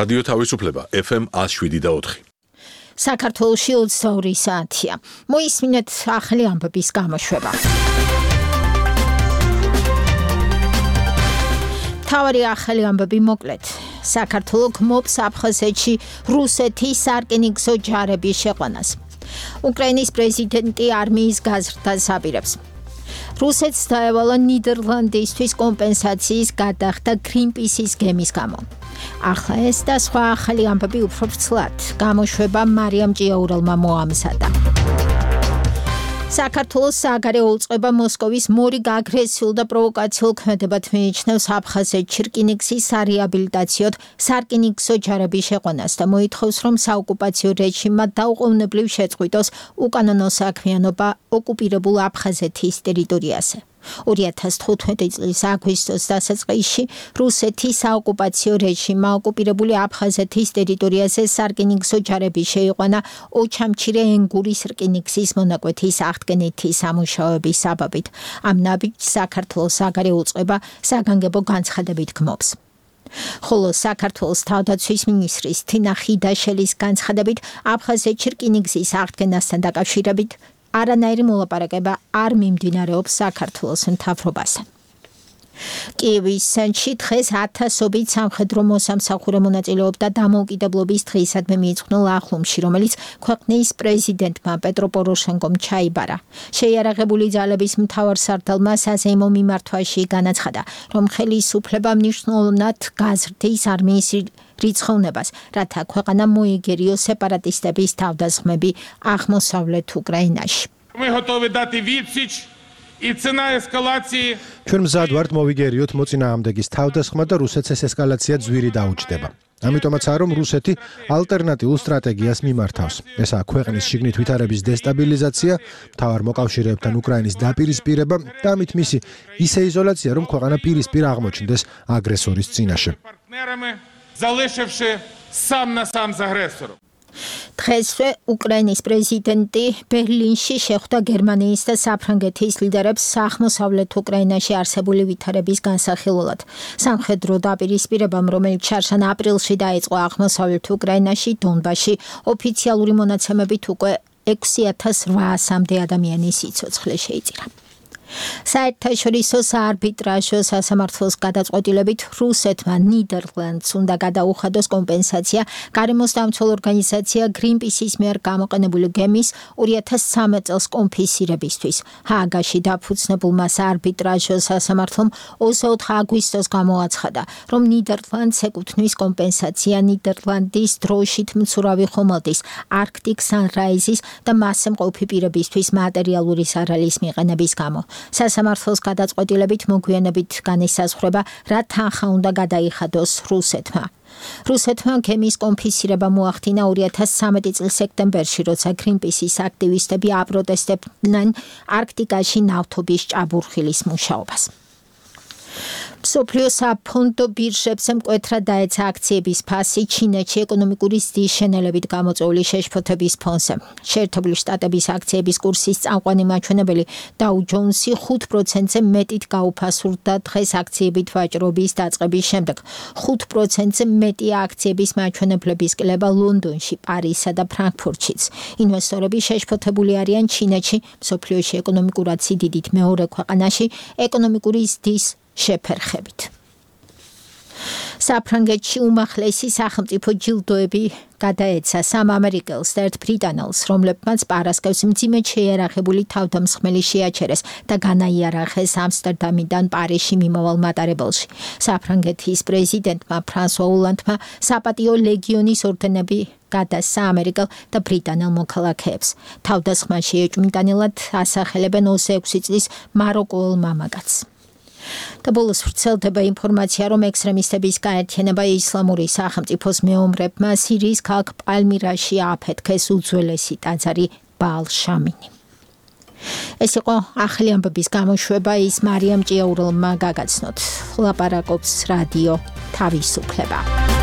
რადიო თავისუფლება FM 107.4. საქართველოში 22 საათია. მოისმინეთ ახალი ამბების გამოშვება. თავარი ახალი ამბები მოკლედ. საქართველო გმობს აფხაზეთში რუსეთის სარკინიგზო ჯარების შეყვანას. უკრაინის პრეზიდენტი არმიის გაზრდას აპირებს. რუსეთს დაევალა ნიდერლანდისთვის კომპენსაციის გადახდა გრინპისის გემის გამო. ახლა ეს და სხვა ახალი ამბები უფრო ვრცლად გამოშვება მარიამ ჭიაურელმა მოამზადა. საქართველოს საგარეო უწყება მოსკოვის მორიგ აგრესიულ და პროვოკაციულ ქმედებად მიიჩნევს აფხაზეთში რკინიგზის სარეაბილიტაციოდ სარკინიგზო ჯარების შეყვანას და მოითხოვს, რომ საოკუპაციო რეჟიმმა დაუყოვნებლივ შეწყვიტოს უკანონო საქმიანობა ოკუპირებულ აფხაზეთის ტერიტორიაზე. 2015 წლის აგვისტოს დასაწყისში რუსეთის საოკუპაციო რეჟიმმა ოკუპირებული აფხაზეთის ტერიტორიაზე სარკინიგზო ჯარების შეიყვანა ოჩამჩირე ენგურის რკინიგზის მონაკვეთის აღდგენითი სამუშაოების საბაბით. ამ ნაბიჯს საქართველოს საგარეო უწყება საგანგებო განცხადებით გმობს. ხოლო საქართველოს თავდაცვის მინისტრის თინა ხიდაშელის განცხადებით აფხაზეთში რკინიგზის აღდგენასთან დაკავშირებით არანაირი მოლაპარაკება არ მიმდინარეობს საქართველოს მთავრობასთან. კიევის ცენტრში დღეს ათასობით სამხედრო მოსამსახურე მონაწილეობდა დამოუკიდებლობის დღისადმი მიიძღვნილ ახლომში, რომელიც ქვეყნის პრეზიდენტმა პეტრო პოროშენკომ ჩაიბარა. შეიარაღებული ძალების მთავარსარდალმა საზეიმო მიმართვაში განაცხადა, რომ ხელისუფლება მნიშვნელოვნად გაზრდის არმიის რიცხოვნებას, რათა ქვეყანა მოიგერიოს სეპარატისტების თავდასხმები აღმოსავლეთ უკრაინაში. ჩვენ მზად ვართ მოვიგერიოთ მოწინააღმდეგის თავდასხმა და რუსეთს ეს ესკალაცია ძვირი დაუჯდება. ამიტომაცაა, რომ რუსეთი ალტერნატიულ სტრატეგიას მიმართავს. ესაა ქვეყნის შიგნით ვითარების დესტაბილიზაცია, მთავარ მოკავშირეებთან უკრაინის დაპირისპირება და ამით მისი ისე იზოლაცია, რომ ქვეყანა პირისპირ აღმოჩნდეს აგრესორის წინაშე. დღესვე უკრაინის პრეზიდენტი ბერლინში შეხვდა გერმანიის და საფრანგეთის ლიდერებს აღმოსავლეთ უკრაინაში არსებული ვითარების განსახილველად. სამხედრო დაპირისპირებამ, რომელიც შარშან აპრილში დაიწყო აღმოსავლეთ უკრაინაში, დონბასში, ოფიციალური მონაცემებით უკვე 6800-მდე ადამიანის სიცოცხლე შეიწირა. საერთაშორისო საარბიტრაჟო სასამართლოს გადაწყვეტილებით რუსეთმა ნიდერლანდს უნდა გადაუხადოს კომპენსაცია გარემოს დამცველ ორგანიზაცია გრინპისის მიერ გამოყენებული გემის 2013 წელს კონფისკირებისთვის. ჰააგაში დაფუძნებულმა საარბიტრაჟო სასამართლომ 24 აგვისტოს გამოაცხადა, რომ ნიდერლანდს ეკუთვნის კომპენსაცია ნიდერლანდის დროშით მცურავი ხომალდის, არქტიკ სანრაიზის და მასზე მყოფი პირებისთვის მატერიალური ზარალის მიყენების გამო. სასამართლოს გადაწყვეტილებით მოგვიანებით განისაზღვრება, რა თანხა უნდა გადაიხადოს რუსეთმა. რუსეთმა გემის კონფისკირება მოახდინა 2013 წლის სექტემბერში, როცა გრინპისის აქტივისტები აპროტესტებდნენ არქტიკაში ნავთობის ჭაბურხილის მუშაობას. მსოფლიო საფონდო ბირჟებზე მკვეთრად დაეცა აქციების ფასი ჩინეთში ეკონომიკური ზრდის შენელებით გამოწვეული შეშფოთების ფონზე. შეერთებული შტატების აქციების კურსის წამყვანი მაჩვენებელი დაუ ჯონსი 5%-ზე მეტით გაუფასურდა დღეს აქციებით ვაჭრობის დაწყების შემდეგ. 5%-ზე მეტი აქციების მაჩვენებლების კლება ლონდონში, პარიზსა და ფრანკფურტშიც. ინვესტორები შეშფოთებული არიან ჩინეთში, მსოფლიოში ეკონომიკურად სიდიდით მეორე ქვეყანაში, ეკონომიკური ზრდის შეფერხებით. საფრანგეთში უმაღლესი სახელმწიფო ჯილდოები გადაეცა სამ ამერიკელს და ერთ ბრიტანელს, რომლებმაც პარასკევს მძიმედ შეიარაღებული თავდამსხმელი შეაჩერეს და განაიარაღეს ამსტერდამიდან პარიზში მიმავალ მატარებელში. საფრანგეთის პრეზიდენტმა ფრანსუა ოლანდმა საპატიო ლეგიონის ორდენები გადასცა ამერიკელ და ბრიტანელ მოქალაქეებს. თავდასხმაში ეჭვმიტანილად ასახელებენ 26 წლის მაროკოელ მამაკაცს. და ბოლოს ვრცელდება ინფორმაცია, რომ ექსტრემისტების გაერთიანება ისლამური სახელმწიფოს მეომრებმა სირიის ქალაქ პალმირაში აფეთქეს უძველესი ტაძარი ბაალ შამინი. ეს იყო ახალი ამბების გამოშვება, ის მარიამ ჭიაურელმა გაგაცნოთ. ლაპარაკობს რადიო თავისუფლება.